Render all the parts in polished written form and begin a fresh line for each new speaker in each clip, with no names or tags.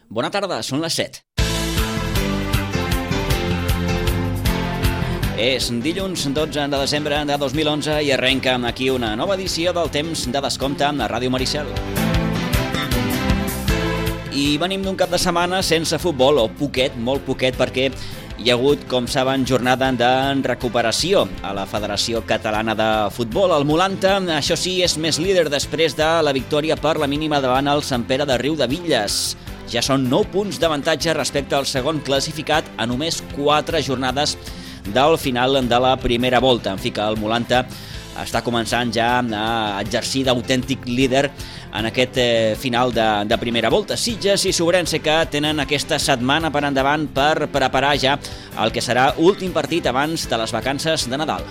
Bona tarda, són les 7. És dilluns 12 de desembre de 2011 i arrenca aquí una nova edició del Temps de Descompte a Ràdio Maricel. I venim d'un cap de setmana sense futbol, o poquet, molt poquet, perquè hi ha hagut, com saben, jornada de recuperació a la Federació Catalana de Futbol. El Molanta, això sí, és més líder després de la victòria per la mínima davant el Sant Pere de Riudebitlles. Ja són 9 punts d'avantatge respecte al segon classificat a només 4 jornades del final de la primera volta. En fi, que el Molanta està començant ja a exercir d'autèntic líder en aquest final de primera volta. Sitges i Sobrense, que tenen aquesta setmana per endavant per preparar ja el que serà últim partit abans de les vacances de Nadal.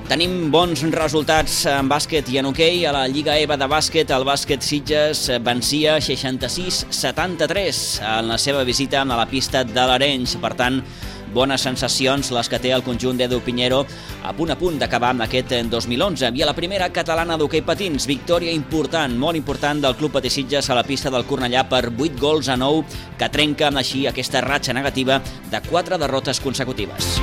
Tenim bons resultats en bàsquet i en hoquei. A la Lliga EVA de bàsquet, el bàsquet Sitges vencia 66-73 en la seva visita a la pista de l'Arenys. Per tant, bones sensacions les que té el conjunt d'Edu Piñero a punt d'acabar amb aquest 2011. I a la primera catalana d'hoquei patins, victòria important, molt important del Club Patí Sitges a la pista del Cornellà per 8-9, que trenca així aquesta ratxa negativa de 4 derrotes consecutives.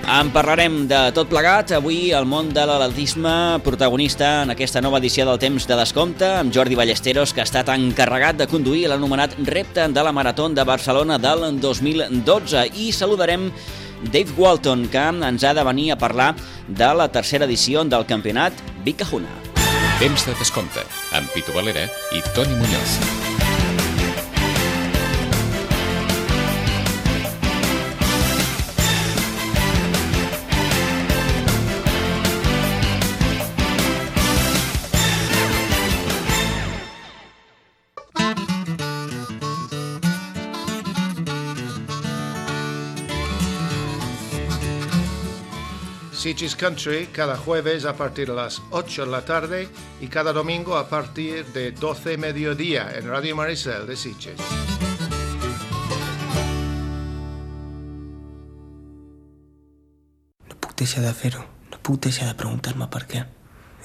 En parlarem de tot plegat. Avui el món de l'atletisme protagonista en aquesta nova edició del Temps de Descompte, amb Jordi Ballesteros, que ha estat encarregat de conduir l'anomenat repte de la Marató de Barcelona del 2012. I saludarem Dave Walton, que ens ha de venir a parlar de la tercera edició del campionat Vic Kahuna.
Temps de Descompte, amb Pitu Valera i Toni Muñoz.
Sitges Country cada jueves a partir de las 8 de la tarde y cada domingo a partir de 12 mediodía en Radio Maricel de Sitges.
No puc deixar de fer-ho, no puc deixar de preguntar-me per què.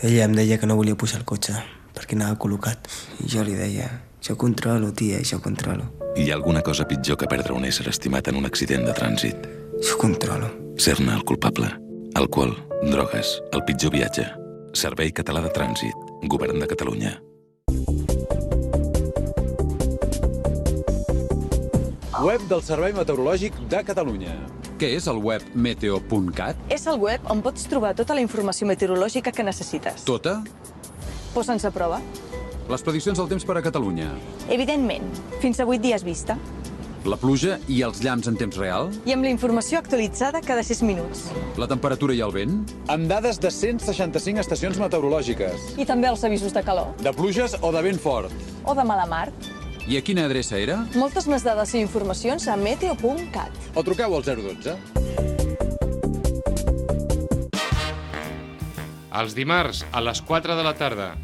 Ella em deia que no volia pujar al cotxe perquè anava col·locat i jo li deia: jo controlo, tia, jo controlo.
Hi ha alguna cosa pitjor que perdre un ésser estimat en un accident de trànsit?
Jo controlo.
Ser-ne el culpable. Alcohol, drogues, el pitjor viatge. Servei Català de Trànsit, Govern de Catalunya.
Web del Servei Meteorològic de Catalunya. Què és el web meteo.cat?
És el web on pots trobar tota la informació meteorològica que necessites.
Tota?
Posa'ns a prova.
Les prediccions del temps per a Catalunya.
Evidentment, fins a 8 dies vista.
La pluja i els llamps en temps real?
I amb la informació actualitzada cada 6 minuts.
La temperatura i el vent? Amb dades de 165 estacions meteorològiques.
I també els avisos de calor.
De pluges o de vent fort?
O de mala mar.
I a quina adreça era?
Moltes més dades i informacions a meteo.cat.
O truqueu al 012.
Els dimarts a les 4 de la tarda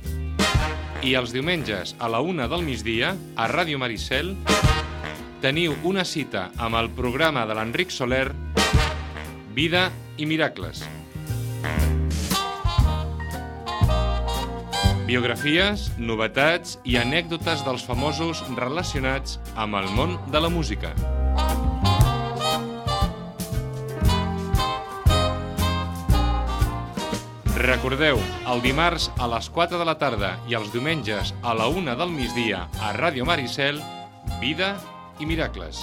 i els diumenges a la 1 del migdia a Ràdio Maricel teniu una cita amb el programa de l'Enric Soler, Vida i Miracles. Biografies, novetats i anècdotes dels famosos relacionats amb el món de la música. Recordeu, el dimarts a les 4 de la tarda i els diumenges a la 1 del migdia a Ràdio Maricel, Vida i Miracles.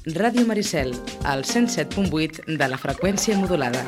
Ràdio Maricel, al 107.8 de la freqüència modulada.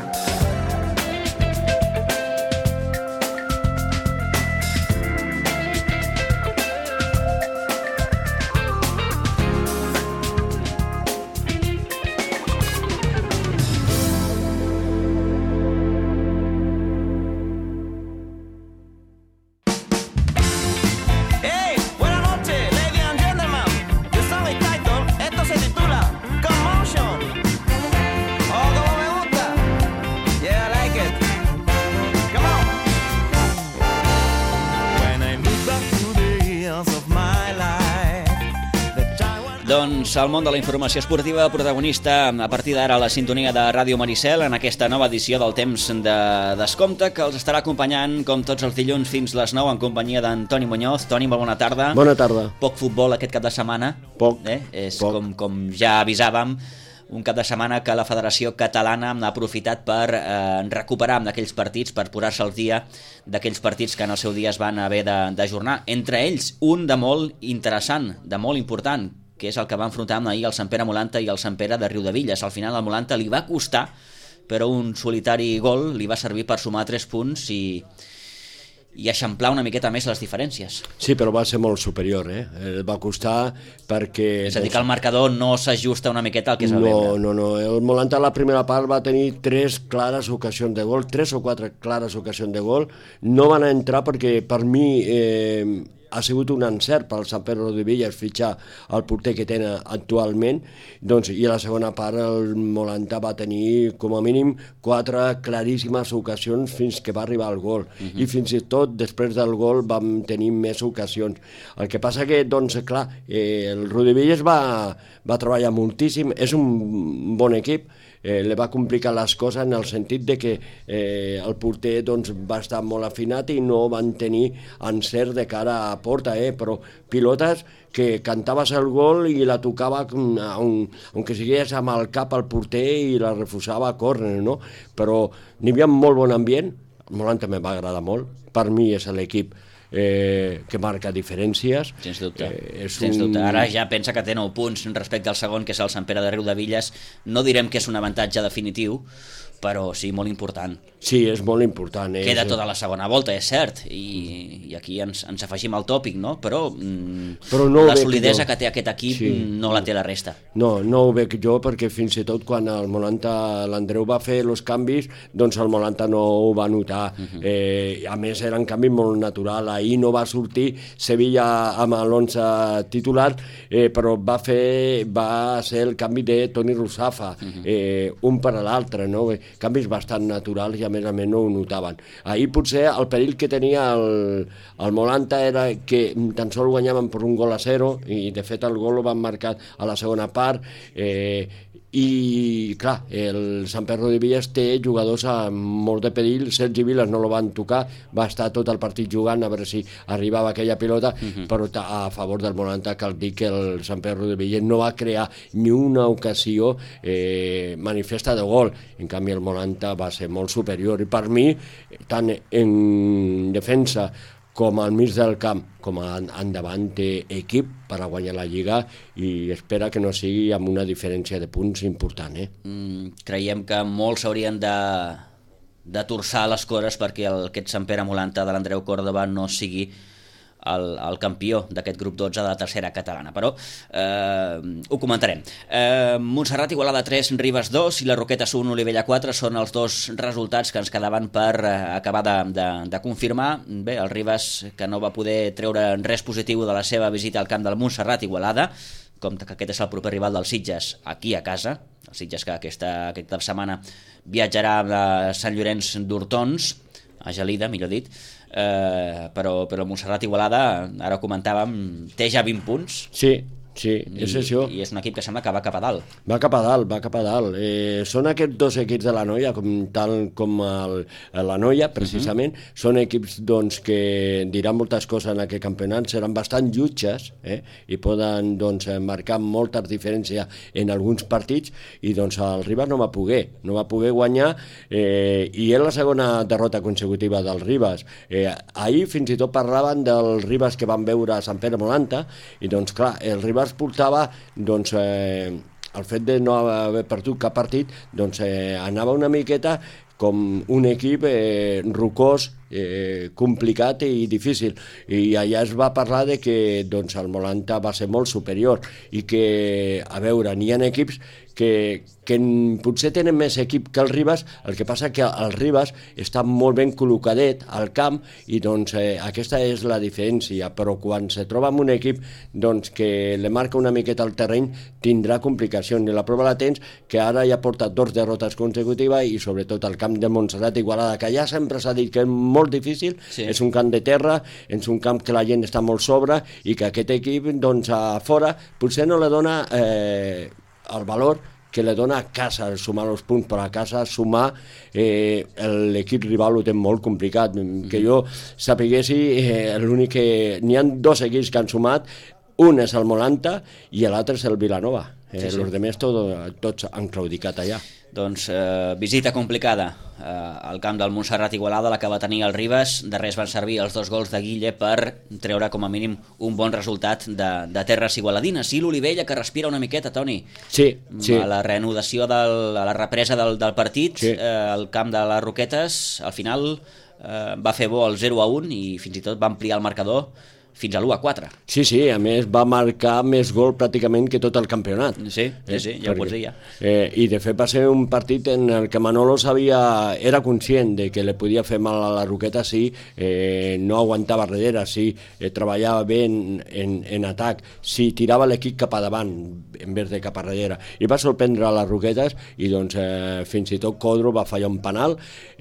Doncs el món de la informació esportiva, protagonista a partir d'ara a la sintonia de Ràdio Maricel en aquesta nova edició del Temps de Descompte, que els estarà acompanyant com tots els dilluns fins les 9 en companyia d'en Toni Muñoz. Toni, molt bona tarda.
Bona tarda.
Poc futbol aquest cap de setmana.
Poc.
És
poc.
Com ja avisàvem, un cap de setmana que la Federació Catalana ha aprofitat per recuperar d'aquells partits, per posar-se al dia d'aquells partits que en el seu dia es van haver d'ajornar. Entre ells, un de molt interessant, de molt important, que és el que va enfrontar ahir el Sant Pere Molanta i el Sant Pere de Riudevilles. Al final el Molanta li va costar, però un solitari gol li va servir per sumar 3 punts i eixamplar una miqueta més les diferències.
Sí, però va ser molt superior, va costar perquè...
És a dir, que el marcador no s'ajusta una miqueta al que es va veure.
No. El Molanta a la primera part va tenir 3 clares ocasions de gol, 3 o 4 clares ocasions de gol. No van entrar perquè per mi... ha sigut un encert pel Sant Pere de Riudevilles fitxar el porter que tenen actualment, doncs, i a la segona part el Molanta va tenir com a mínim 4 claríssimes ocasions fins que va arribar al gol, i fins i tot després del gol vam tenir més ocasions. El que passa que, doncs, clar, el Riudevilles va treballar moltíssim, és un bon equip, li va complicar les coses en el sentit de que el porter doncs, va estar molt afinat i no van tenir encert de cara a porta, però pilotes que cantaves el gol i la tocava aunque sigués amb el cap al porter i la refusava a córner, no? Però n'hi havia molt bon ambient, el Molanta me va agradar molt, per mi és l'equip que marca diferències.
Sens dubte. Ara ja pensa que té 9 punts respecte al segon, que és el Sant Pere de Riudevilles. No direm que és un avantatge definitiu, però sí, molt important.
Sí, és molt important.
Queda tota la segona volta, és cert, i aquí ens afegim al tòpic, no? Però no la solidesa que té aquest equip no la té la resta.
No ho veig jo, perquè fins i tot quan el Molanta, l'Andreu va fer els canvis, doncs el Molanta no ho va notar. A més, era un canvi molt natural. Ahir no va sortir Sevilla amb l'11 titular, però va ser el canvi de Toni Russafa, un per a l'altre, no? Canvis bastant naturals i a més no ho notaven. Ahir potser el perill que tenia el Molanta era que tan sols guanyaven per 1-0 i de fet el gol ho van marcar a la segona part, i clar, el Sant Pere de Riudevilles té jugadors amb molt de perill. Sergi Vilas no lo van tocar, va estar tot el partit jugant a veure si arribava aquella pilota, però a favor del Molanta cal dir que el Sant Pere de Riudevilles no va crear ni una ocasió manifesta de gol. En canvi el Molanta va ser molt superior, i per mi tant en defensa com al mig del camp, com endavant té equip per a guanyar la Lliga, i espera que no sigui amb una diferència de punts important.
Creiem que molts s'haurien de torçar les cores perquè aquest Sant Pere Molanta de l'Andreu Córdoba no sigui el campió d'aquest grup 12 de la tercera catalana, però ho comentarem. Montserrat Igualada 3, Ribes 2 i la Roquetes 1, Olivella 4 són els 2 resultats que ens quedaven per acabar de confirmar. Bé, el Ribes, que no va poder treure res positiu de la seva visita al camp del Montserrat Igualada, com que aquest és el proper rival dels Sitges aquí a casa, els Sitges que aquesta setmana viatjarà a Sant Llorenç d'Hortons, a Gelida, millor dit, però Montserrat Igualada, ara ho comentàvem, té ja 20 punts.
Sí, és això.
I és un equip que sembla que va cap a dalt.
Va cap a dalt. Són aquests 2 equips de la Noia, tal com la Noia, precisament, són equips doncs, que diran moltes coses en aquest campionat, seran bastant jutges, i poden marcar moltes diferències en alguns partits, i doncs el Ribes no va poder guanyar, i és la segona derrota consecutiva del Ribes. Ahir fins i tot parlaven del Ribes que van veure a Sant Pere Molanta, i doncs clar, el Ribes portava el fet de no haver perdut cap partit, doncs anava una miqueta com un equip rocós, complicat i difícil, i allà es va parlar de que doncs, el Molanta va ser molt superior, i que, a veure, n'hi ha equips que potser tenen més equip que el Ribes, el que passa que el Ribes està molt ben col·locadet al camp, i doncs aquesta és la diferència, però quan se troba amb un equip doncs, que le marca una miqueta al terreny, tindrà complicacions, i la prova la tens que ara ja porta 2 derrotes consecutives, i sobretot al camp de Montserrat Igualada, que ja sempre s'ha dit que és molt molt difícil, és un camp de terra, és un camp que la gent està molt sobre i que aquest equip, doncs, a fora, potser no li dona el valor que li dona a casa sumar els punts, però a casa sumar l'equip rival ho té molt complicat. Que jo sapiguessi, l'únic que... N'hi ha 2 equips que han sumat, un és el Molanta i l'altre és el Vilanova. Els altres tots han claudicat allà.
Doncs visita complicada al camp del Montserrat Igualada, la que va tenir el Ribes. De res van servir els 2 gols de Guille per treure com a mínim un bon resultat de terres igualadines. I l'Olivella, que respira una miqueta, Toni.
Sí.
A la reanudació, a la represa del partit, al camp de les Roquetes, al final va fer bo el 0-1 i fins i tot va ampliar el marcador fins a l'1-4.
Sí, a més va marcar més gol pràcticament que tot el campionat.
Sí, ja ho pots dir ja.
I de fet va ser un partit en el que Manolo era conscient de que li podia fer mal a la Roqueta si no aguantava darrere, si treballava bé en atac, si tirava l'equip cap a davant en vez de cap a darrere. I va sorprendre a les Roquetes i doncs fins i tot Codro va fallar un penal.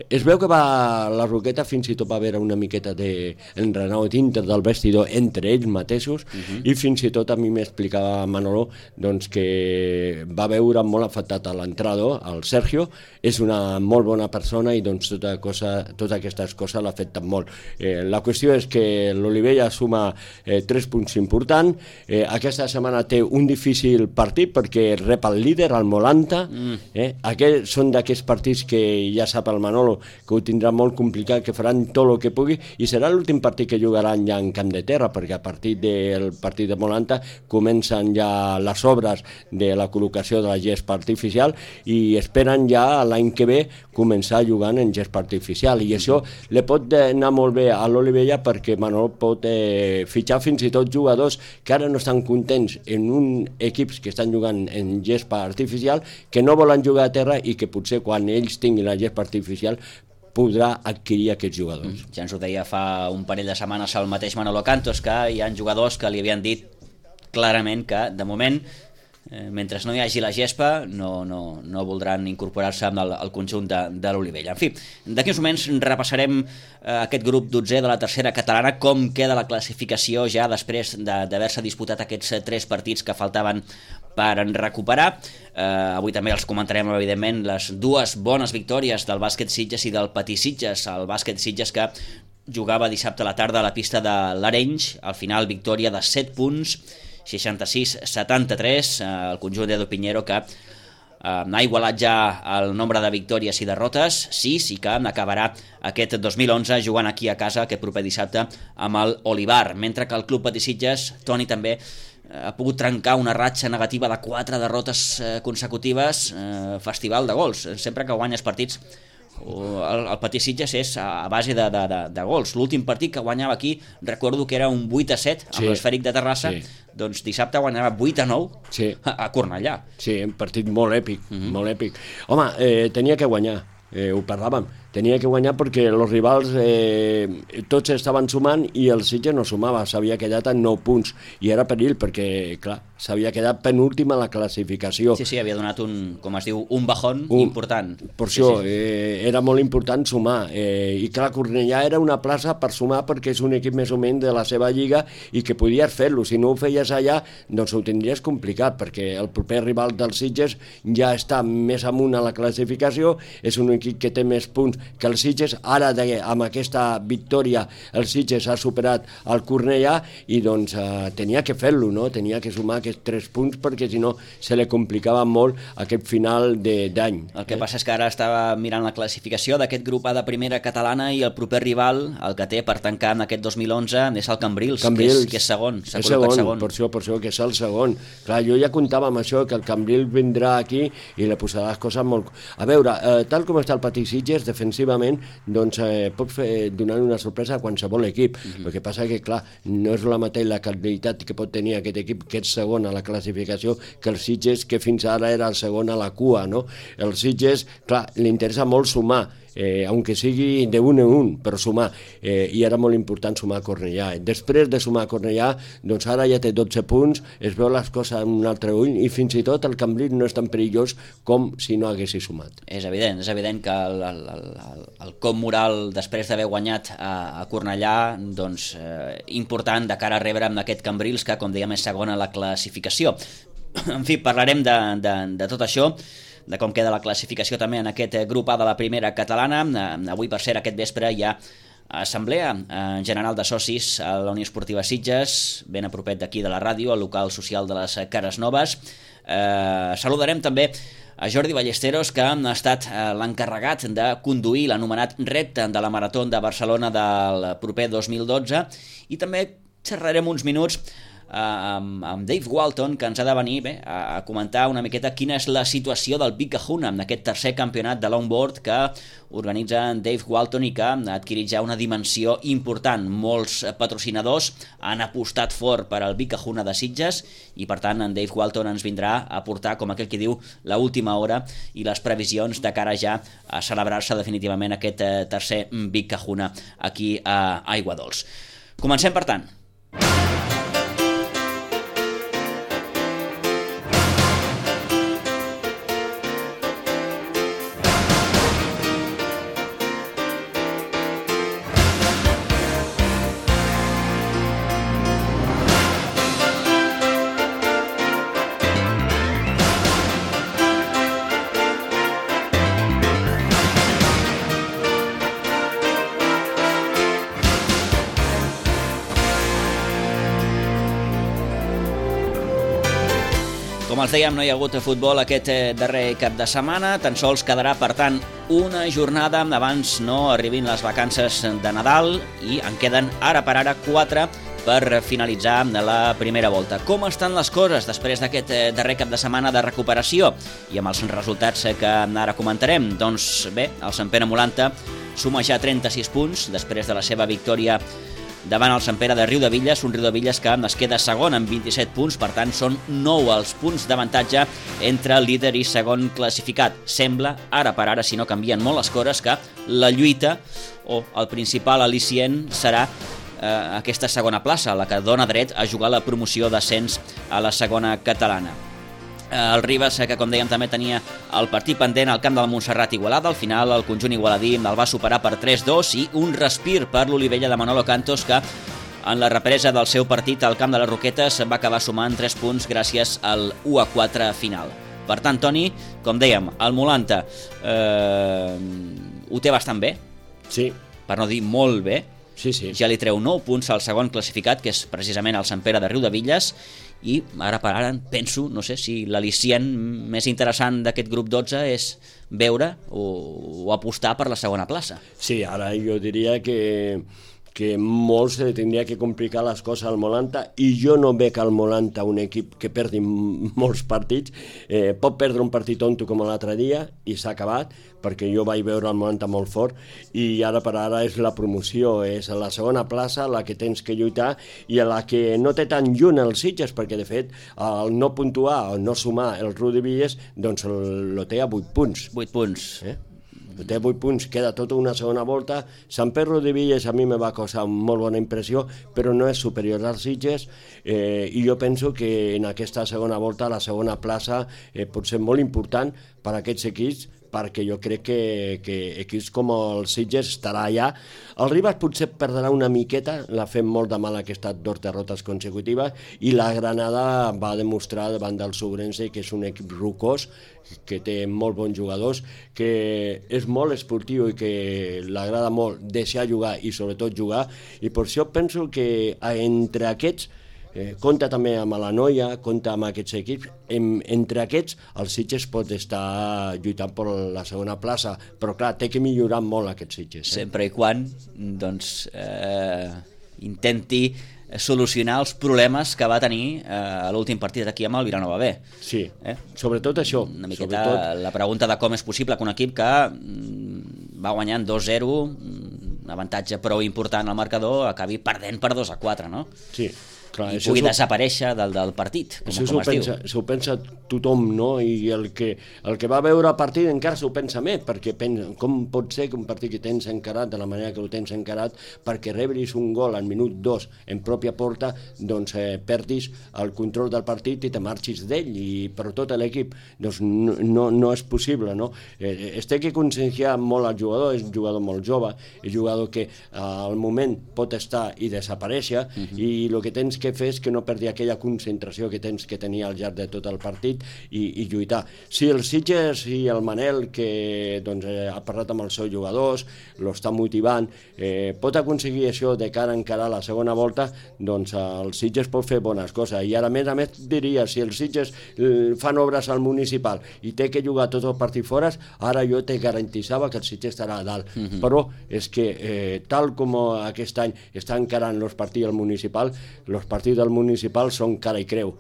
Es veu que la Roqueta fins i tot va haver una miqueta d'enrenou dintre del vestidor entre ells mateixos i fins i tot a mi m'explicava Manolo doncs, que va veure molt afectat a l'entrenador, el Sergio. És una molt bona persona i doncs totes aquestes coses l'afecten molt. La qüestió és que l'Olivella suma 3 punts importants. Aquesta setmana té un difícil partit perquè rep el líder, el Molanta. Són d'aquests partits que ja sap el Manolo que ho tindrà molt complicat, que faran tot el que pugui i serà l'últim partit que jugaran ja en camp de terra, perquè a partir del partit de Molanta comencen ja les obres de la col·locació de la gespa artificial i esperen ja l'any que ve començar jugant en gespa artificial, i això li pot anar molt bé a l'Olivella perquè Manolo pot fitxar fins i tot jugadors que ara no estan contents en un equips que estan jugant en gespa artificial, que no volen jugar a terra i que potser quan ells tinguin la gespa artificial podrà adquirir aquests jugadors.
Ja ens ho deia fa un parell de setmanes el mateix Manolo Cantos, que hi ha jugadors que li havien dit clarament que, de moment, mentre no hi hagi la gespa, no voldran incorporar-se al conjunt de l'Olivella. En fi, d'aquí uns moments repassarem aquest grup 12è de la tercera catalana, com queda la classificació ja després d'haver-se disputat aquests 3 partits que faltaven per recuperar. Avui també els comentarem, evidentment, les 2 bones victòries del bàsquet Sitges i del Patí Sitges. El bàsquet Sitges que jugava dissabte a la tarda a la pista de l'Arenys, al final victòria de 7 punts, 66-73, el conjunt d'Edu Piñero que ha igualat ja el nombre de victòries i derrotes, 6, i que acabarà aquest 2011 jugant aquí a casa aquest proper dissabte amb el Olivar, mentre que el Club Patí Sitges, Toni, també ha pogut trencar una ratxa negativa de 4 derrotes consecutives, festival de gols. Sempre que guanyes partits, el Patí Sitges és a base de gols. L'últim partit que guanyava aquí, recordo que era un 8-7 amb l'Esfèric de Terrassa, doncs dissabte guanyava 8-9 a Cornellà.
Sí, un partit molt èpic, molt èpic. Home, tenia que guanyar, ho parlàvem. Tenia que guanyar perquè els rivals tots estaven sumant i el Sitges no sumava, s'havia quedat en 9 punts i era perill perquè, clar, s'havia quedat penúltim a la classificació.
Sí, havia donat com es diu, un bajón important.
Per això, era molt important sumar i clar, Cornellà era una plaça per sumar perquè és un equip més o menys de la seva lliga i que podies fer-lo, si no ho feies allà doncs ho tindries complicat perquè el proper rival del Sitges ja està més amunt a la classificació, és un equip que té més punts que el Sitges. Ara amb aquesta victòria el Sitges ha superat el Cornellà i doncs tenia que fer-lo, no? Tenia que sumar aquests 3 punts perquè si no se li complicava molt aquest final d'any.
El que passa és que ara estava mirant la classificació d'aquest grup A de primera catalana i el proper rival, el que té per tancar en aquest 2011, és el Cambrils, que és segon, s'ha col·locat segon.
Per això que és el segon. Clar, jo ja comptava amb això, que el Cambrils vindrà aquí i li posarà les coses molt... A veure, tal com està el Patí Sitges, defensivament, doncs pot donar una sorpresa a qualsevol equip. El que passa que, clar, no és la mateixa la qualitat que pot tenir aquest equip, que és segon a la classificació, que el Sitges, que fins ara era el segon a la cua, no? El Sitges, clar, li interessa molt sumar aunque sigui de 1 en 1, però sumar, i era molt important sumar a Cornellà. Després de sumar a Cornellà, doncs ara ja té 12 punts, es veu les coses amb un altre ull, i fins i tot el Cambrils no és tan perillós com si no haguessi sumat.
És evident que el cop moral després d'haver guanyat a Cornellà, doncs important de cara a rebre amb aquest Cambrils que, com dèiem, és segon a la classificació. En fi, parlarem de tot això, de com queda la classificació també en aquest grup A de la primera catalana. Avui, per cert, aquest vespre hi ha assemblea general de socis a la Unió Esportiva Sitges, ben a propet d'aquí de la ràdio, al local social de les Cares Noves. Saludarem també a Jordi Ballesteros, que ha estat l'encarregat de conduir l'anomenat repte de la Marató de Barcelona del proper 2012, i també xerrarem uns minuts amb Dave Walton, que ens ha de venir a comentar una miqueta quina és la situació del Big Kahuna en aquest tercer campionat de longboard que organitza Dave Walton i que ha adquirit ja una dimensió important. Molts patrocinadors han apostat fort per al Big Kahuna de Sitges i, per tant, en Dave Walton ens vindrà a portar, com aquell que diu, l'última hora i les previsions de cara ja a celebrar-se definitivament aquest tercer Big Kahuna aquí a Aiguadols. Comencem, per tant. Com els dèiem, no hi ha hagut futbol aquest darrer cap de setmana, tan sols quedarà, per tant, una jornada abans no arribin les vacances de Nadal i en queden ara per ara 4 per finalitzar la primera volta. Com estan les coses després d'aquest darrer cap de setmana de recuperació i amb els resultats que ara comentarem? Doncs bé, el Sant Pere Molanta suma ja 36 punts després de la seva victòria davant el Sant Pere de Riudebitlles, un Riudebitlles que es queda segon amb 27 punts, per tant són 9 els punts d'avantatge entre líder i segon classificat. Sembla, ara per ara, si no canvien molt les coses, que la lluita o el principal al·licient serà aquesta segona plaça, la que dona dret a jugar la promoció d'ascens a la segona catalana. El Ribes, que com dèiem també tenia el partit pendent al camp del Montserrat Igualada, al final el conjunt igualadí el va superar per 3-2 i un respir per l'Olivella de Manolo Cantos, que en la represa del seu partit al camp de les Roquetes va acabar sumant 3 punts gràcies al 1-4 final. Per tant, Toni, com dèiem, el Molanta ho té bastant bé,
sí,
per no dir molt bé.
Sí, sí.
Ja li treu 9 punts al segon classificat, que és precisament el Sant Pere de Riudebitlles, i ara per ara penso, no sé, si l'al·licient més interessant d'aquest grup 12 és veure o apostar per la segona plaça.
Sí, ara jo diria que molt se li tindria que complicar les coses al Molanta, i jo no veig al Molanta un equip que perdi molts partits. Pot perdre un partit tonto com l'altre dia i s'ha acabat, perquè jo vaig veure el Molanta molt fort, i ara per ara és la promoció, és la segona plaça la que tens que lluitar i a la que no té tan lluny els Sitges, perquè de fet el no puntuar o no sumar el Riudebitlles doncs el té a 8 punts.
8 punts.
Té 8 punts, queda tota una segona volta. Sant Pere Riudebitlles a mi me va causar molt bona impressió, però no és superior als Sitges, i jo penso que en aquesta segona volta la segona plaça pot ser molt important per a aquests equips, perquè jo crec que equips com el Sitges estarà allà. El Ribas potser perdrà una miqueta, l'ha fet molt de mal aquestes 2 derrotes consecutives, i la Granada va demostrar davant del Sobrense que és un equip rocós, que té molt bons jugadors, que és molt esportiu i que l'agrada molt deixar jugar i sobretot jugar, i per això penso que entre aquests compta també amb la Noia, compta amb aquests equips. Entre aquests el Sitges pot estar lluitant per la segona plaça, però clar, té que millorar molt aquests Sitges.
Sempre i quan doncs, intenti solucionar els problemes que va tenir a l'últim partit aquí amb el Vilanova B.
Sí, sobretot això.
Una miqueta la pregunta de com és possible que un equip que va guanyant 2-0, un avantatge prou important al marcador, acabi perdent per 2-4, no?
Sí. Clar,
i pugui desaparèixer del partit, com es diu.
S'ho pensa tothom, no? I el que va veure el partit encara s'ho pensa més, perquè pensa, com pot ser que un partit que tens encarat de la manera que ho tens encarat, perquè rebris un gol al minut 2 en pròpia porta, doncs perdis el control del partit i te marxis d'ell, i per tot l'equip. Doncs no és possible, no? Es té que conscienciar molt al jugador, és un jugador molt jove, és un jugador que al moment pot estar i desaparèixer, i el que tens que fer és que no perdi aquella concentració que tens que tenir al llarg de tot el partit i lluitar. Si el Sitges i el Manel, que doncs, ha parlat amb els seus jugadors, l'està motivant, pot aconseguir això de cara a encarar la segona volta, doncs el Sitges pot fer bones coses. I ara, a més diria, si el Sitges fan obres al municipal i té que jugar tot el partit fora, ara jo te garantitzava que el Sitges estarà a dalt. Però és que tal com aquest any està encarant els partits al municipal, els partits del municipal són cara i creu.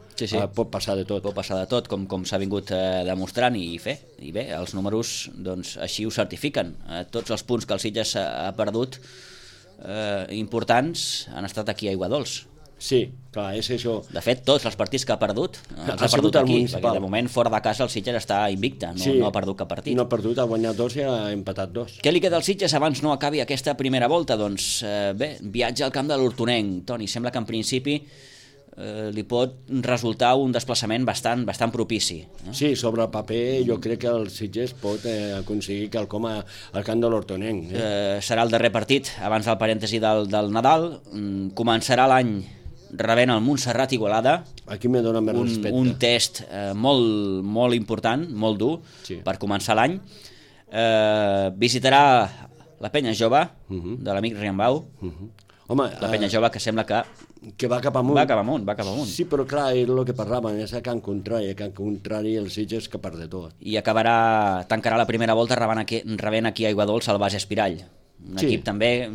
Pot passar de tot.
Pot passar de tot, com s'ha vingut demostrant, i bé, els números doncs, així ho certifiquen. Tots els punts que el Sitges ha perdut importants han estat aquí a Aiguadols.
Sí, clar, és això.
De fet, tots els partits que ha perdut els ha perdut aquí, perquè de moment fora de casa el Sitges està invicte, no ha perdut cap partit.
No ha perdut, ha guanyat 2 i ha empatat 2.
Què li queda al Sitges abans no acabi aquesta primera volta? Doncs bé, viatge al camp de l'Hortonenc. Toni, sembla que en principi li pot resultar un desplaçament bastant propici.
Sí, sobre el paper jo crec que el Sitges pot aconseguir quelcom al camp de l'Hortonenc.
Serà el darrer partit abans del parèntesi del Nadal. Començarà l'any rebent el Montserrat Igualada.
Aquí me dona més respecte.
Un test molt important, molt dur, per començar l'any. Visitarà la Penya Jove de l'amic Riambau. La Penya Jove que sembla
que va cap amunt.
Va cap amunt.
Sí, però clar, és el que parlàvem, és a Can Contrari el Sitges que perd de tot.
I tancarà la primera volta rebent aquí a Aiguadols el Bas Espirall. Un equip també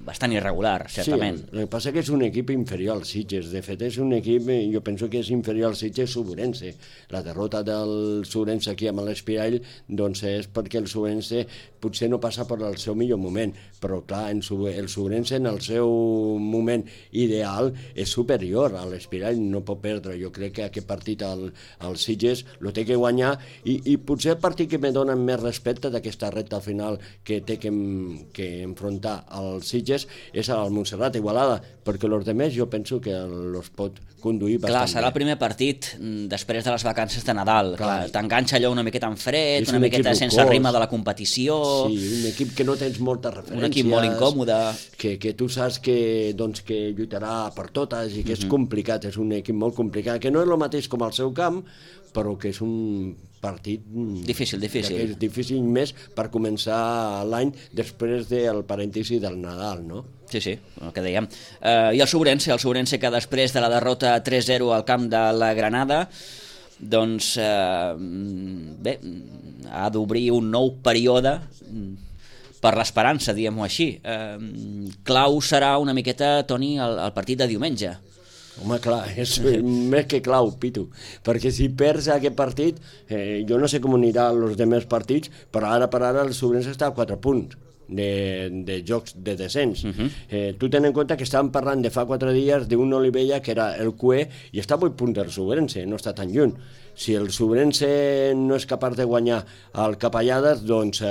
bastant irregular, certament.
Sí, el que passa que és un equip inferior al Sitges. De fet, és un equip, jo penso que és inferior al Sitges Subrense. La derrota del Subrense aquí amb l'Espirall doncs és perquè el Subrense potser no passa per el seu millor moment, però clar, el Subrense en el seu moment ideal és superior a l'Espirall, no pot perdre. Jo crec que aquest partit al Sitges el té que guanyar, i potser el partit que me dona més respecte d'aquesta recta final que té que enfrontar al Sitges és al Montserrat Igualada, perquè els altres jo penso que els pot conduir bastant bé.
Serà el primer partit després de les vacances de Nadal. T'enganxa allò una miqueta en fred, una miqueta sense ritme de la competició.
Sí, un equip que no tens moltes referències.
Un equip molt incòmode.
Que tu saps que lluitarà per totes i que és complicat, és un equip molt complicat, que no és el mateix com al seu camp, però que és un partit
difícil
més per començar l'any després del parèntesi del Nadal, no?
Sí, el que dèiem. I el Sobrense que després de la derrota 3-0 al camp de la Granada doncs bé, ha d'obrir un nou període per l'esperança, diguem-ho així. Clau serà una miqueta, Toni, el partit de diumenge.
Home, clar, és més que clau, Pitu, perquè si perds aquest partit, jo no sé com anirà els demés partits, però ara per ara el Sobrense està a 4 punts de jocs de descens. Tu ten en compte que estàvem parlant de fa 4 dies d'un Olivella que era el QE i està a 8 punts del Sobrense, no està tan lluny. Si el Sobrense no és capaç de guanyar el Capellades, doncs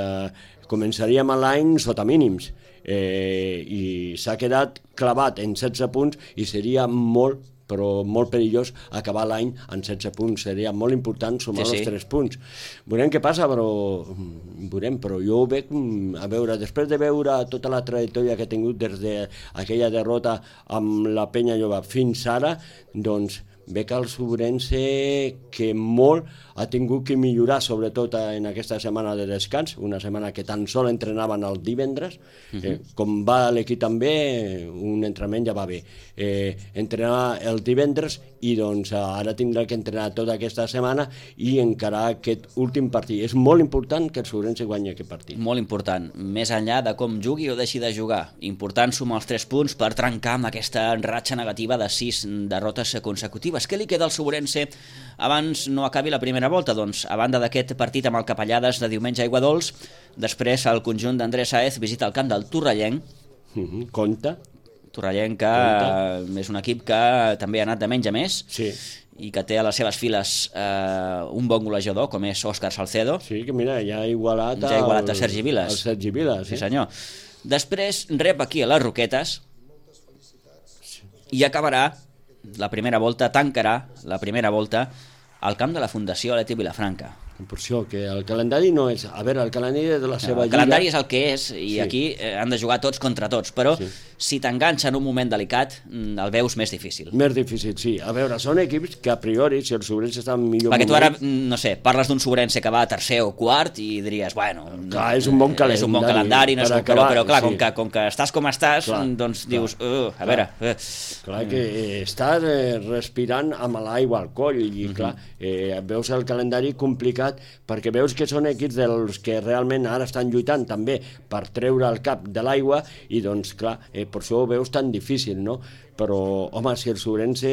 començaríem l'any sota mínims. I s'ha quedat clavat en 16 punts i seria molt perillós acabar l'any en 16 punts. Seria molt important sumar els 3 punts. Veurem què passa, però jo ho veig, a veure, després de veure tota la trajectòria que ha tingut des d'aquella derrota amb la Penya Jove fins ara, doncs veig el Sobrense que molt ha tingut que millorar, sobretot en aquesta setmana de descans, una setmana que tan sol entrenaven el divendres, com va l'equip també, un entrenament ja va bé. Entrenar el divendres i doncs ara tindrà que entrenar tota aquesta setmana i encarar aquest últim partit. És molt important que el Sobrense guanyi aquest partit.
Molt important, més enllà de com jugui o deixi de jugar. Important sumar els 3 punts per trencar amb aquesta ratxa negativa de 6 derrotes consecutives. Què li queda al Sobrense abans no acabi la primera volta? Doncs, a banda d'aquest partit amb el Capellades de diumenge a Aiguadols, després el conjunt d'Andrés Saez visita el camp del Torrellenc.
Compte.
Torrellenca és un equip que també ha anat de menys a més, i que té a les seves files un bon golejador, com és Òscar Salcedo.
Sí, que mira, ja ha igualat
a Sergi Vilas.
El Sergi Vilas,
sí senyor. Després rep aquí a les Roquetes i acabarà la primera volta, tancarà la primera volta al camp de la Fundació Aleti Vilafranca.
Per això, que el calendari no és... A veure, el calendari de la seva lliga...
El calendari és el que és, i aquí han de jugar tots contra tots, però si t'enganxa en un moment delicat, el veus més difícil.
Més difícil, sí. A veure, són equips que a priori, si el Sobrense està en millor
perquè tu ara, no sé, parles d'un Sobrense que va a tercer o quart i diries, bueno...
Clar, és un bon calendari.
És un bon calendari, però clar, com que estàs com estàs, doncs dius, a veure...
Clar que estàs respirant amb l'aigua al coll i clar, veus el calendari complicat perquè veus que són equips dels que realment ara estan lluitant també per treure el cap de l'aigua i doncs clar, per això ho veus tan difícil, no? Però, home, si el Sobrense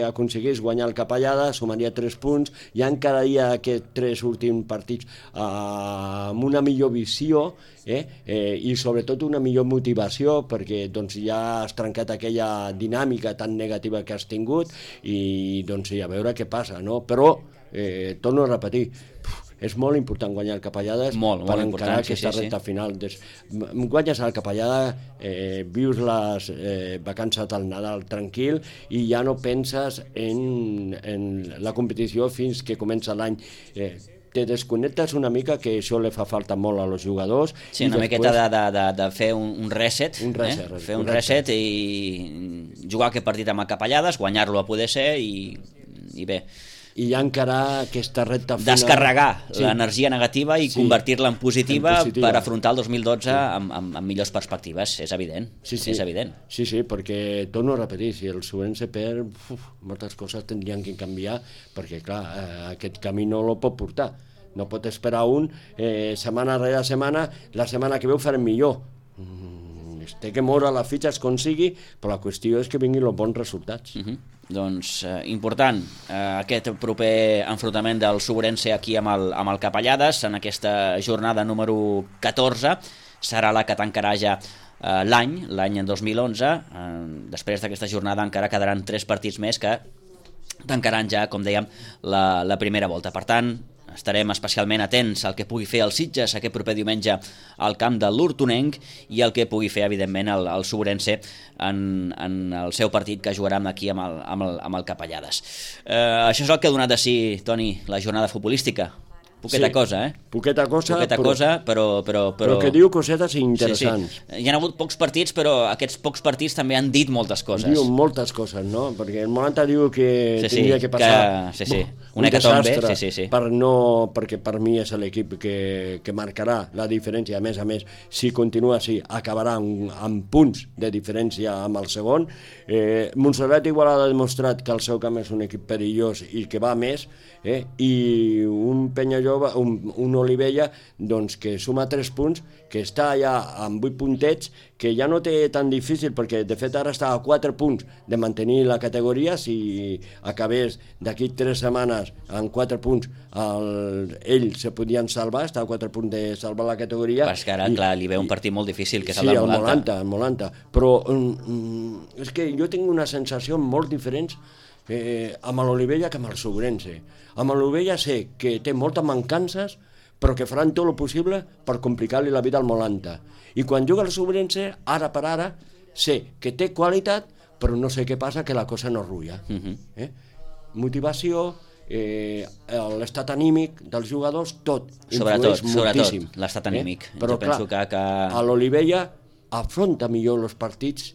aconseguís guanyar el Capellada, sumaria 3 punts, ja encararia aquests 3 últims partits amb una millor visió i sobretot una millor motivació, perquè doncs, ja has trencat aquella dinàmica tan negativa que has tingut i doncs, a veure què passa, no? Però, torno a repetir, és molt important guanyar el Capellades per encarar aquesta recta final. Guanyes el Capellada, vius les vacances del Nadal tranquil i ja no penses en la competició fins que comença l'any. Te desconnectes una mica, que això li fa falta molt als jugadors.
Sí, una miqueta de fer un reset. Fer un reset i jugar aquest partit amb el Capellades, guanyar-lo a poder ser i bé.
I ja encarar aquesta recta final...
Descarregar l'energia negativa i convertir-la en positiva per afrontar el 2012 amb millors perspectives, és evident. És evident.
Sí, perquè, torno a repetir, si el Sobrense perd, moltes coses tindrien que canviar, perquè, clar, aquest camí no lo pot portar. No pot esperar setmana rere setmana, la setmana que ve ho farem millor. Té que moure les fitxes com sigui, però la qüestió és que vinguin els bons resultats.
Doncs important aquest proper enfrontament del Sobrense aquí amb el Capellades en aquesta jornada número 14. Serà la que tancarà ja l'any 2011. Després d'aquesta jornada encara quedaran 3 partits més que tancaran ja, com dèiem, la primera volta. Per tant, estarem especialment atents al que pugui fer el Sitges aquest proper diumenge al camp de l'Hortonenc i el que pugui fer, evidentment, el Sobrense en el seu partit que jugarà aquí amb el Capellades. Això és el que ha donat de si, Toni, la jornada futbolística. Poqueta cosa,
Poqueta
cosa, però...
Però que diu cosetes interessants.
Sí. Hi ha hagut pocs partits, però aquests pocs partits també han dit moltes coses.
Diu moltes coses, no? Perquè el Molanta diu que tindria que passar
un hecatombe,
perquè per mi és l'equip que marcarà la diferència. A més, si continua així, acabarà amb punts de diferència amb el segon. Montserrat igual ha demostrat que el seu camp és un equip perillós i que va més, i un Penyajove, un Olivella, doncs que suma 3 punts, que està ja amb 8 puntets, que ja no té tan difícil, perquè de fet ara està a 4 punts de mantenir la categoria. Si acabés d'aquí 3 setmanes amb 4 punts, ell se podien salvar, està a 4 punts de salvar la categoria.
Però és que ara, clar, li ve un partit molt difícil, que és el del Molanta.
El Molanta. Però és que jo tinc una sensació molt diferent amb l'Olivella que amb el Sobrense. Amb l'Olivella sé que té moltes mancances, però que faran tot el possible per complicar-li la vida al Molanta. I quan juga el Sobrense, ara per ara, sé que té qualitat, però no sé què passa, que la cosa no rulla. Motivació, l'estat anímic dels jugadors, tot influeix moltíssim.
Sobretot l'estat anímic.
Però clar, a l'Olivella afronta millor els partits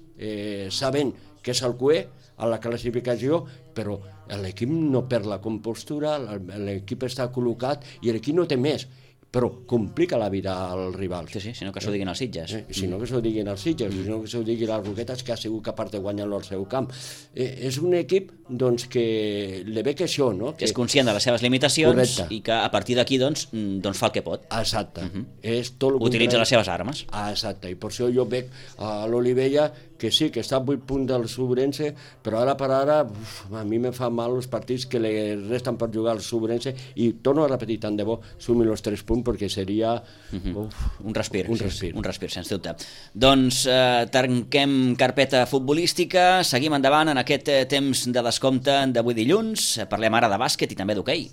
sabent que és el cué a la classificació, però l'equip no perd la compostura, l'equip està col·locat i l'equip no té més, però complica la vida als rivals.
Sí, sinó que s'ho diguin els Sitges.
Sinó que s'ho diguin els Sitges, sinó que s'ho diguin les Roquetes, que ha sigut capaç de guanyar-lo al seu camp. És un equip doncs, que li ve que això, no?
Que és conscient de les seves limitacions i que a partir d'aquí doncs fa el que pot.
Exacte.
Utilitza les seves armes.
Exacte, i per això jo veig a l'Olivella que sí, que està a 8 punts del Sobrense, però ara per ara a mi me fa mal els partits que li resten per jugar al Sobrense, i torno a repetir, tant de bo sumin els 3 punts, perquè seria...
Un respir, sens dubte. Doncs tanquem carpeta futbolística, seguim endavant en aquest temps de descompte d'avui dilluns. Parlem ara de bàsquet i també d'hoquei.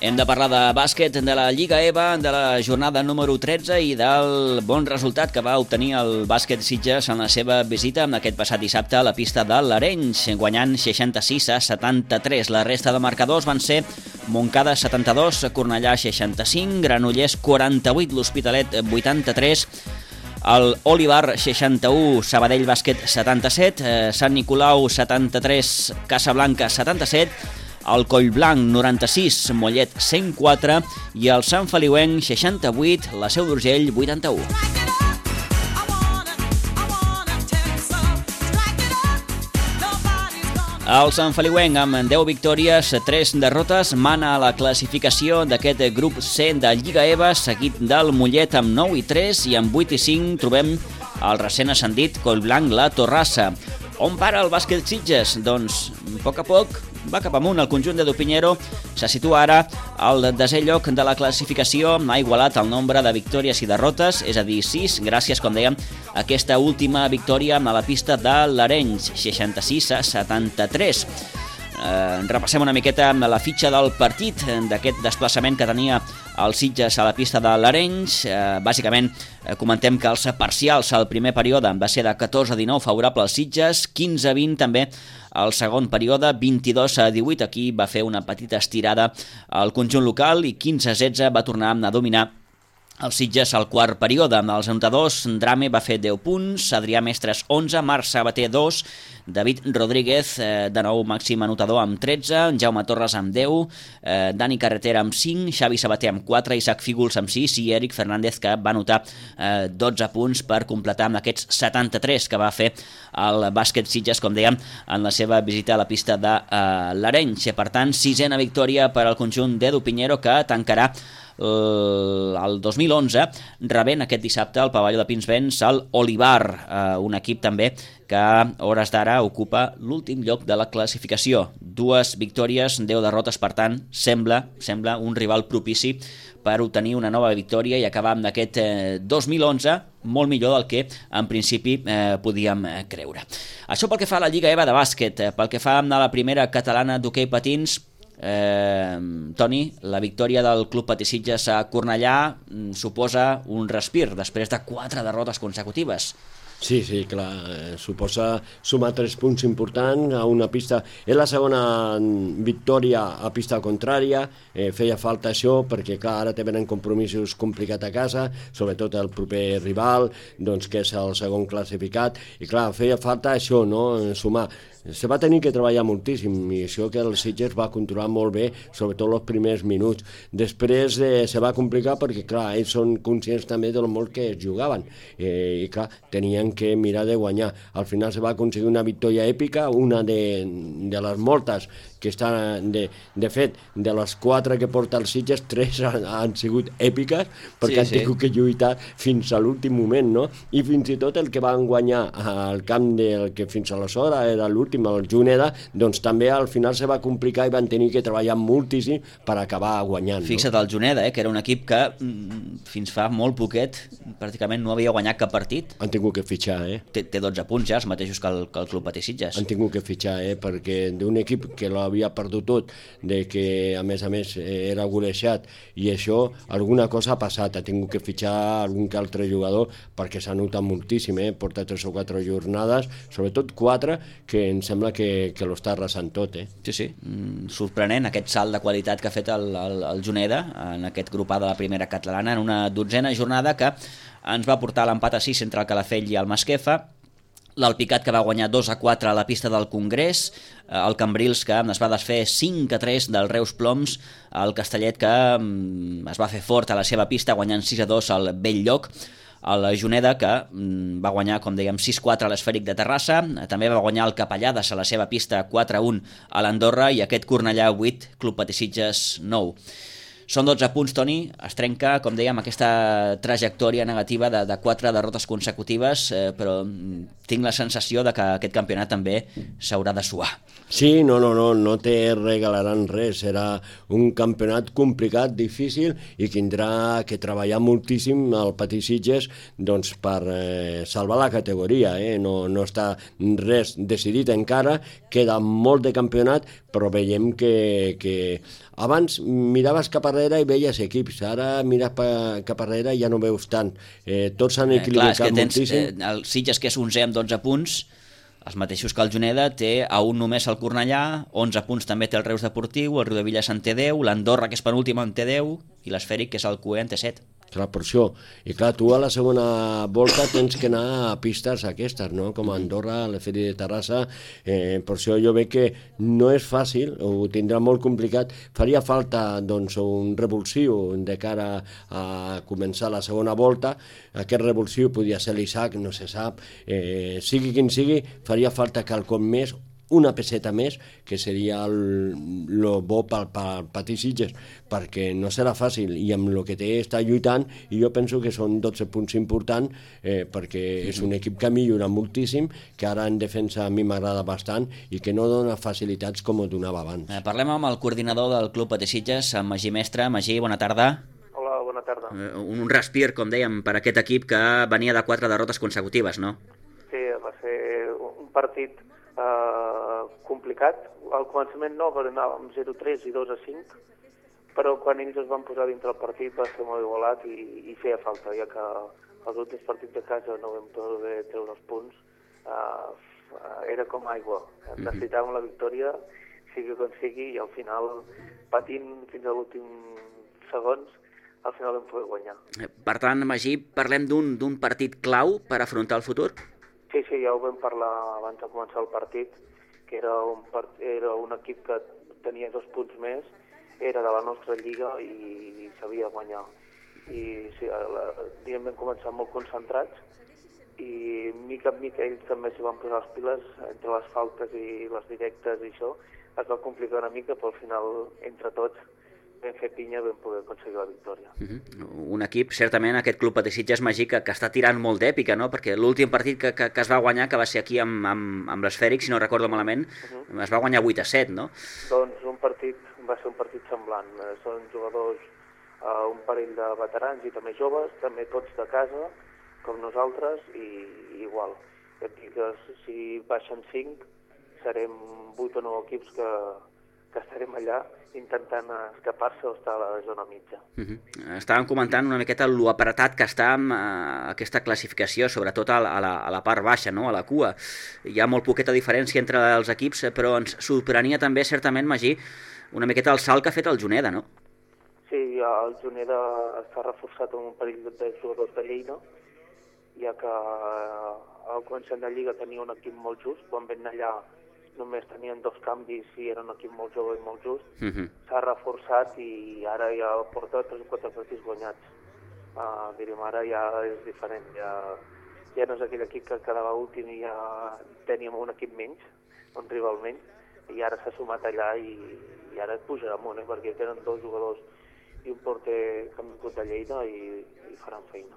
Hem de parlar de bàsquet, de la Lliga EVA, de la jornada número 13 i del bon resultat que va obtenir el bàsquet Sitges en la seva visita aquest passat dissabte a la pista de l'Arenys, guanyant 66-73. La resta de marcadors van ser Montcada 72, Cornellà 65, Granollers 48, l'Hospitalet 83, el Olivar 61, Sabadell Bàsquet 77, Sant Nicolau 73, Casablanca 77, el Collblanc 96, Mollet 104 i el Sant Feliuenc 68, la Seu d'Urgell 81. El Sant Feliuenc, amb 10 victòries, 3 derrotes, mana a la classificació d'aquest grup C de Lliga EVA, seguit del Mollet amb 9 i 3 i amb 8 i 5 trobem el recent ascendit Collblanc La Torrassa. On para el bàsquet Sitges? Doncs, a poc va cap amunt. El conjunt de Dupinero se situa ara al desè lloc de la classificació, ha igualat el nombre de victòries i derrotes, és a dir, 6, gràcies, com dèiem, a aquesta última victòria a la pista de l'Arenys, 66-73. Repassem una miqueta la fitxa del partit d'aquest desplaçament que tenia el Sitges a la pista de l'Arenys. Bàsicament comentem que els parcials al primer període va ser de 14-19 favorable als Sitges, 15-20 també al segon període, 22-18 aquí va fer una petita estirada al conjunt local i 15-16 va tornar a dominar el Sitges al quart període. Amb els anotadors, Drame va fer 10 punts, Adrià Mestres 11, Marc Sabater 2, David Rodríguez, de nou màxim anotador amb 13, Jaume Torres amb 10, Dani Carretera amb 5, Xavi Sabater amb 4, Isaac Fígols amb 6 i Eric Fernández, que va anotar 12 punts per completar amb aquests 73 que va fer el bàsquet Sitges, com dèiem, en la seva visita a la pista de l'Arenys. Per tant, 6a victòria per al conjunt d'Edu Pinheiro, que tancarà el 2011 rebent aquest dissabte al pavelló de Pinsbens el Olivar, un equip també que a hores d'ara ocupa l'últim lloc de la classificació. 2 victòries, 10 derrotes, per tant sembla un rival propici per obtenir una nova victòria i acabar amb aquest 2011 molt millor del que en principi podíem creure. Això pel que fa a la Lliga EVA de bàsquet. Pel que fa a la primera catalana d'hoquei patins, Toni, la victòria del Club Patí Sitges a Cornellà suposa un respir després de 4 derrotes consecutives.
Sí, clar, suposa sumar 3 punts importants a una pista. És la segona victòria a pista contrària, feia falta això perquè, clar, ara tenen compromisos complicats a casa, sobretot el proper rival, doncs, que és el segon classificat, i clar, feia falta això, no?, sumar. Se va tenir que treballar moltíssim i això que el Sitges va controlar molt bé, sobretot els primers minuts. Després se va complicar perquè, clar, ells són conscients també del molt que es jugaven i, clar, tenien que mirar de guanyar. Al final se va aconseguir una victòria èpica, una de les moltes que estan, de fet, de les 4 que porta el Sitges, 3 han sigut èpiques perquè han tingut que lluitar fins a l'últim moment, no? I fins i tot el que van guanyar al camp del que fins aleshores era l'últim, el Juneda, doncs també al final se va complicar i van tenir que treballar moltíssim per acabar guanyant.
Fixa't el Juneda, que era un equip que fins fa molt poquet pràcticament no havia guanyat cap partit.
Han tingut que fitxar,
Té 12 punts ja, els mateixos que el Club Patí Sitges.
Han tingut que fitxar, perquè d'un equip que l'havia perdut tot, de que a més era golejat, i això, alguna cosa ha passat, ha tingut que fitxar algun que altre jugador perquè s'ha notat moltíssim, porta 3 o 4 jornades, sobretot 4, que em sembla que l'està arrasant tot.
Sí, sorprenent aquest salt de qualitat que ha fet el Juneda en aquest grup A de la primera catalana en una 12a jornada que ens va portar l'empat a 6 entre el Calafell i el Masquefa, l'Alpicat que va guanyar 2-4 a la pista del Congrés, el Cambrils que es va desfer 5-3 del Reus Ploms, el Castellet que es va fer fort a la seva pista guanyant 6-2 al Belllloc, el Juneda, que va guanyar, com dèiem, 6-4 a l'Esfèric de Terrassa, també va guanyar el Capellades a la seva pista 4-1 a l'Andorra i aquest Cornellà 8, Club Patí Sitges 9. Són 12 punts, Toni, es trenca, com dèiem, aquesta trajectòria negativa de 4 derrotes consecutives, però tinc la sensació de que aquest campionat també s'haurà de suar.
Sí, no te regalaran res, serà un campionat complicat, difícil, i tindrà que treballar moltíssim el Patí Sitges doncs, per salvar la categoria. No està res decidit encara, queda molt de campionat, però veiem que abans miraves cap arrere i veies equips, ara mires cap arrere i ja no veus tant. Tots s'han equilibrat moltíssim.
El Sitges, que és 11 amb 12 punts, els mateixos que el Juneda, té a un només el Cornellà, 11 punts també té el Reus Deportiu, el Riudebitlles en té 10, l'Andorra, que és penúltim, en té 10, i l'Esfèric, que és el cué, en té 7.
Clar, per això. I clar, tu a la segona volta tens que anar a pistes aquestes, no? Com a Andorra, a l'Esfèric de Terrassa. Per això jo veig que no és fàcil, ho tindrà molt complicat. Faria falta doncs, un revulsiu de cara a començar la segona volta. Aquest revulsiu podia ser l'Isaac, no se sap. Sigui quin sigui, faria falta quelcom més, una peseta més, que seria el bo pel Patí Sitges, perquè no serà fàcil, i amb el que té està lluitant, i jo penso que són 12 punts importants, perquè és un equip que millora moltíssim, que ara en defensa a mi m'agrada bastant, i que no dona facilitats com ho donava abans.
Parlem amb el coordinador del Club Patí Sitges, amb Magí Mestre. Magí, bona tarda.
Hola, bona tarda.
Un respir, com dèiem, per aquest equip que venia de 4 derrotes consecutives, no?
Sí, va ser un partit complicat. Al començament no, perquè anàvem 0-3 i 2-5, però quan ells es van posar dintre el partit va ser molt igualat i feia falta, ja que els últims partits de casa no vam poder treure els punts. Era com aigua. Necessitàvem la victòria, sigui com sigui, i al final, patint fins a l'últim segons, al final vam poder guanyar.
Per tant, Magí, parlem d'un partit clau per afrontar el futur?
Sí, ja ho vam parlar abans de començar el partit, que era un equip que tenia 2 punts més, era de la nostra lliga i sabia guanyar. I sí, vam començar molt concentrats i mica en mica ells també s'hi van posar les piles entre les faltes i les directes i això. Es va complicar una mica, però al final, entre tots, vam fer pinya, vam poder aconseguir la victòria.
Un equip, certament, aquest Club Patí Sitges, Magí, que està tirant molt d'èpica, no? Perquè l'últim partit que es va guanyar, que va ser aquí amb l'Esfèric, si no recordo malament, es va guanyar 8-7, no?
Doncs va ser un partit semblant. Són jugadors, un parell de veterans i també joves, també tots de casa, com nosaltres, i igual. Et dic que si baixen 5, serem 8 o 9 equips que estarem allà intentant escapar-se o estar a la zona mitja.
Estàvem comentant una miqueta lo apretat que està amb aquesta classificació, sobretot a la part baixa, no? A la cua. Hi ha molt poqueta diferència entre els equips, però ens sorprenia també, certament, Magí, una miqueta el salt que ha fet el Juneda, no?
Sí, el Juneda està reforçat amb un parell de jugadors de Lleida, ja que al començament de Lliga tenia un equip molt just, quan vam anar allà només tenien 2 canvis i era un equip molt jove i molt just. S'ha reforçat i ara ja porta 3 o 4 partits guanyats. Diríem, ara ja és diferent, ja no és aquell equip que quedava últim i ja teníem un equip menys, un rival menys, i ara s'ha sumat allà i ara pujarà amunt, perquè tenen 2 jugadors i un porter que han vingut de Lleida i faran feina.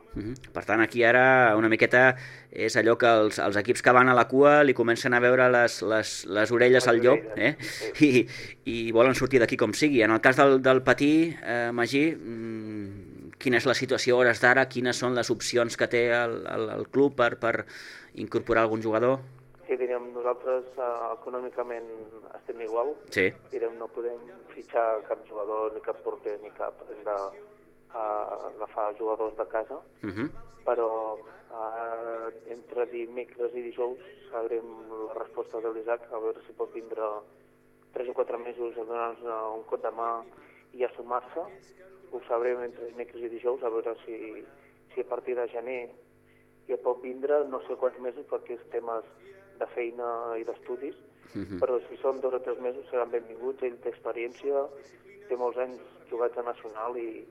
Per tant, aquí ara una miqueta és allò que els equips que van a la cua li comencen a veure les orelles al llop, i volen sortir d'aquí com sigui. En el cas del Patí, Magí, quina és la situació a hores d'ara? Quines són les opcions que té el club per incorporar algun jugador?
Sí, diríem, nosaltres econòmicament estem igual.
Sí.
Diríem, no podem fitxar cap jugador, ni cap porter, ni cap. Hem d'agafar jugadors de casa, però entre dimecres i dijous sabrem la resposta de l'Isaac, a veure si pot vindre 3 o 4 mesos a donar-nos un cop de mà i a sumar-se. Ho sabrem entre dimecres i dijous, a veure si a partir de gener ja pot vindre, no sé quants mesos, perquè és temes de feina i d'estudis, però si són 2 o 3 mesos seran benvinguts. Ell té experiència, té molts anys jugats a Nacional i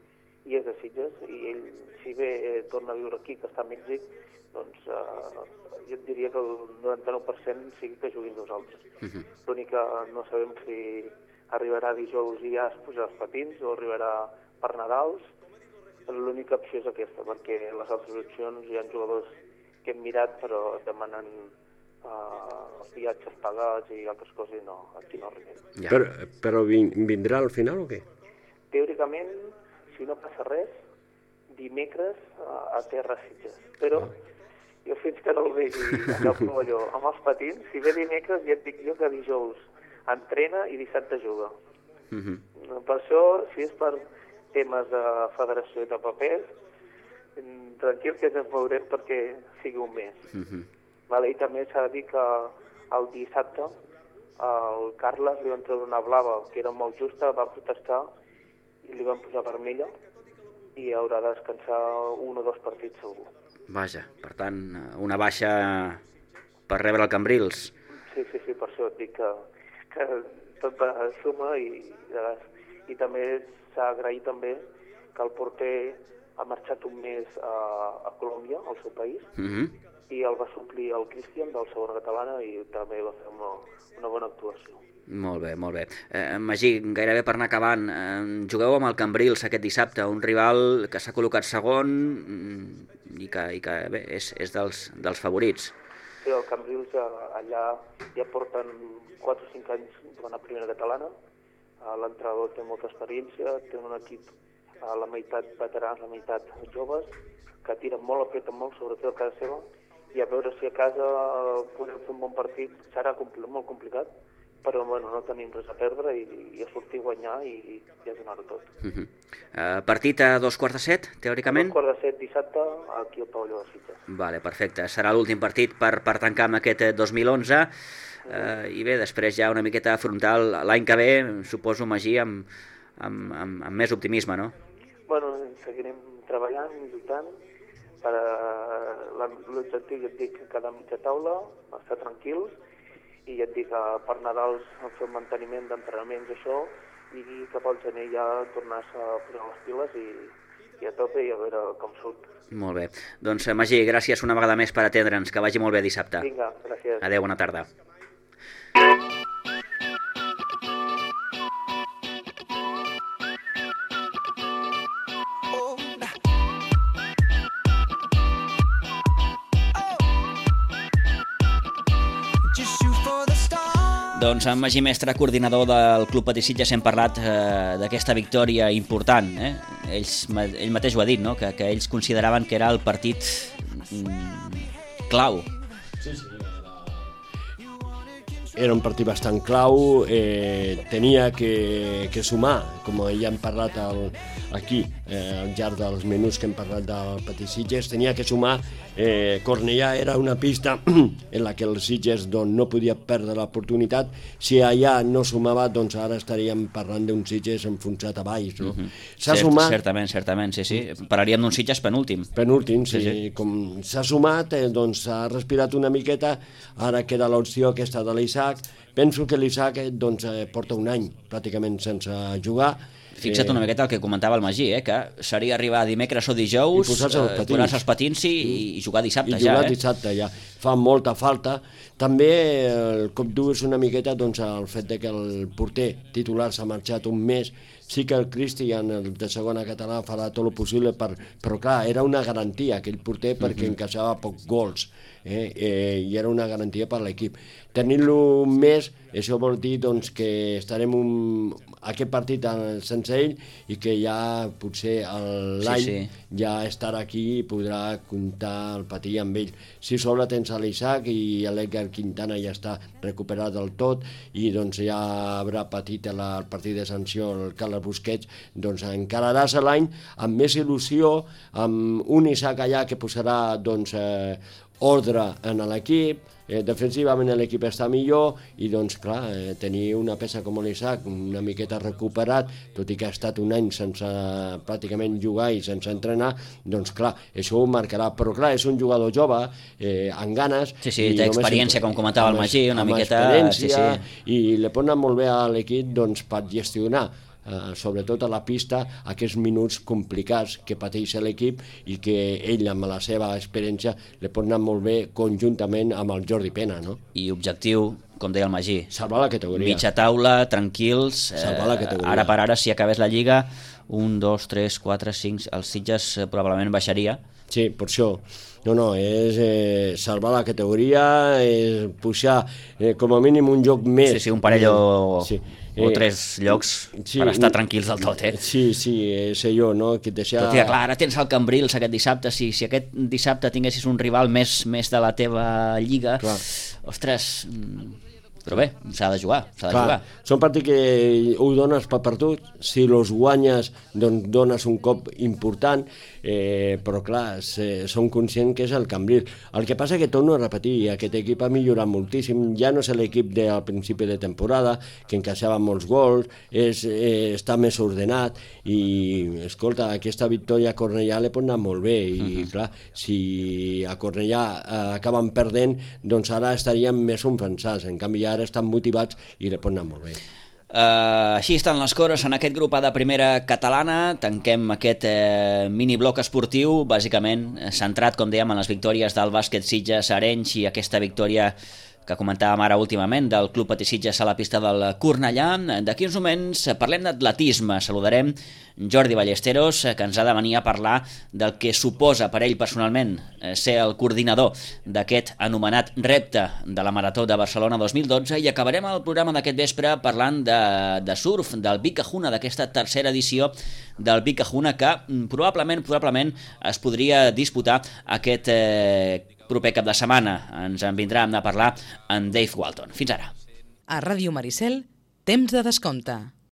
i és de Sitges, i ell, si bé torna a viure aquí, que està a Mèxic, doncs jo et diria que el 99% sigui que juguin nosaltres. L'únic que no sabem si arribarà dijous i ja es posarà els patins o arribarà per Nadals. L'única opció és aquesta, perquè les altres opcions hi ha jugadors que hem mirat però demanen viatges pagats i altres coses i no, aquí no arribem.
Però vindrà al final o què?
Teòricament, si no passa res, dimecres a terra Sitges. Però jo fins que no el vegi allà al pavelló amb els patins, si ve dimecres ja et dic jo que dijous entrena i dissabte juga. Per això, si és per temes de federació i de papers, tranquil que ens veurem perquè sigui un mes. I també s'ha de dir que el dissabte el Carles li van treure una blava que era molt justa, va protestar i li van posar vermella i haurà de descansar 1 o 2 partits segur.
Vaja, per tant, una baixa per rebre el Cambrils.
Sí, per això et dic que tot va suma i també s'ha agraït també que el porter ha marxat un mes a Colòmbia, al seu país, i el va suplir el Cristian del segona catalana i també va fer una bona actuació.
Molt bé, molt bé. Magí, gairebé per anar acabant, jugueu amb el Cambrils aquest dissabte, un rival que s'ha col·locat segon i que bé, és dels favorits.
Sí, el Cambrils allà ja porten 4 o 5 anys jugant a primera catalana, l'entrenador té molta experiència, té un equip a la meitat veterans, la meitat joves, que tiren molt, apreten molt, sobretot a casa seva, i a veure si a casa podem fer un bon partit serà molt complicat, però bueno, no tenim res a perdre i a sortir a guanyar i ja donar-ho tot.
Partit a 7:15, teòricament?
A 7:15 dissabte aquí al pavelló de Sitges.
Vale, perfecte. Serà l'últim partit per tancar amb aquest 2011 i bé, després ja una miqueta afrontar l'any que ve, suposo, Magí, amb més optimisme, no?
Bueno, seguirem treballant, lluitant, per l'objectiu, ja et dic, cada mitja taula, estar tranquils, i ja et dic que per Nadals fer un manteniment d'entrenaments, això, i cap al gener ja tornar-se a posar les piles i a tope i a veure com surt.
Molt bé. Doncs, Magí, gràcies una vegada més per atendre'ns. Que vagi molt bé dissabte.
Vinga, gràcies.
Adéu, bona tarda. Doncs amb Magí Mestre, coordinador del Club Patí Sitges, hem parlat d'aquesta victòria important. Ell mateix ho ha dit, no? Que ells consideraven que era el partit clau.
Sí. Era un partit bastant clau, tenia que sumar, com ja hem parlat aquí, al llarg dels minuts que hem parlat del Patí Sitges, tenia que sumar. Cornellà era una pista en la que el Sitges no podia perdre l'oportunitat. Si allà no sumava, doncs ara estaríem parlant d'un Sitges enfonsat a baix. No? S'ha sumat...
Certament, sí. Parlaríem d'un Sitges penúltim.
Penúltim, sí. Com s'ha sumat, doncs s'ha respirat una miqueta, ara queda l'opció aquesta de l'Isaac. Penso que l'Isaac porta un any pràcticament sense jugar.
Fixa't una miqueta el que comentava el Magí, que seria arribar dimecres o dijous, posar-se els patins i jugar dissabte ja.
I jugar dissabte ja. Fa molta falta. També el cop dur és una miqueta el fet que el porter titular s'ha marxat un mes. Sí que el Cristian, el de segona català, farà tot el possible, però clar, era una garantia aquell porter perquè encaixava pocs gols. I era una garantia per l'equip. Tenint-lo més, això vol dir que estarem aquest partit sense ell i que ja potser l'any ja estarà aquí i podrà comptar el Patí amb ell. Si sobre tens l'Isaac i l'Edgar Quintana ja està recuperat del tot i ja haurà patit el partit de sanció el Carles Busquets, encararàs l'any amb més il·lusió, amb un Isaac allà que posarà ordre en l'equip, defensivament l'equip està millor i clar, tenir una peça com l'Isaac una miqueta recuperat, tot i que ha estat un any sense pràcticament jugar i sense entrenar, clar, això ho marcarà, però clar, és un jugador jove amb ganes.
Sí, té experiència, com comentava el Magí, una miqueta.
I li pot anar molt bé a l'equip per gestionar sobretot a la pista, aquests minuts complicats que pateix l'equip i que ell, amb la seva experiència, li pot anar molt bé conjuntament amb el Jordi Pena, no?
I objectiu, com deia el Magí,
salvar la categoria.
Mitja taula, tranquils,
salvar la categoria.
Ara per ara, si acabés la Lliga, 1, 2, 3, 4, 5, els Sitges probablement baixaria.
Sí, per això. No, és salvar la categoria, és pujar com a mínim un joc més.
Sí, un parell o 3 llocs per estar tranquils del tot,
Sí, és allò, no? Que deixar...
Però, tia, clar, ara tens el Cambrils aquest dissabte, si aquest dissabte tinguessis un rival més de la teva lliga, clar. Ostres... Però bé, s'ha de jugar,
Són partits que ho dones per perdut, si els guanyes doncs dones un cop important, però clar, som conscients que és el Cambrils. El que passa que torno a repetir, aquest equip ha millorat moltíssim, ja no és l'equip del principi de temporada, que encaixava molts gols, està més ordenat i, escolta, aquesta victòria a Cornellà li pot anar molt bé i clar, si a Cornellà acaben perdent, doncs ara estaríem més enfonsats, en canvi ara estan motivats i li pot anar molt bé.
Així estan les coses en aquest grup de primera catalana. Tanquem aquest minibloc esportiu, bàsicament centrat, com dèiem, en les victòries del bàsquet Sitges Arenys i aquesta victòria que comentàvem ara últimament del Club Patí Sitges a la pista del Cornellà. D'aquí uns moments parlem d'atletisme. Saludarem Jordi Ballesteros, que ens ha de venir a parlar del que suposa per ell personalment ser el coordinador d'aquest anomenat repte de la Marató de Barcelona 2012, i acabarem el programa d'aquest vespre parlant de surf, del Big Kahuna, d'aquesta tercera edició del Big Kahuna, que probablement es podria disputar aquest proper cap de setmana. Ens en vindrà a parlar en Dave Walton. Fins ara.
A Ràdio Maricel, temps de descompte.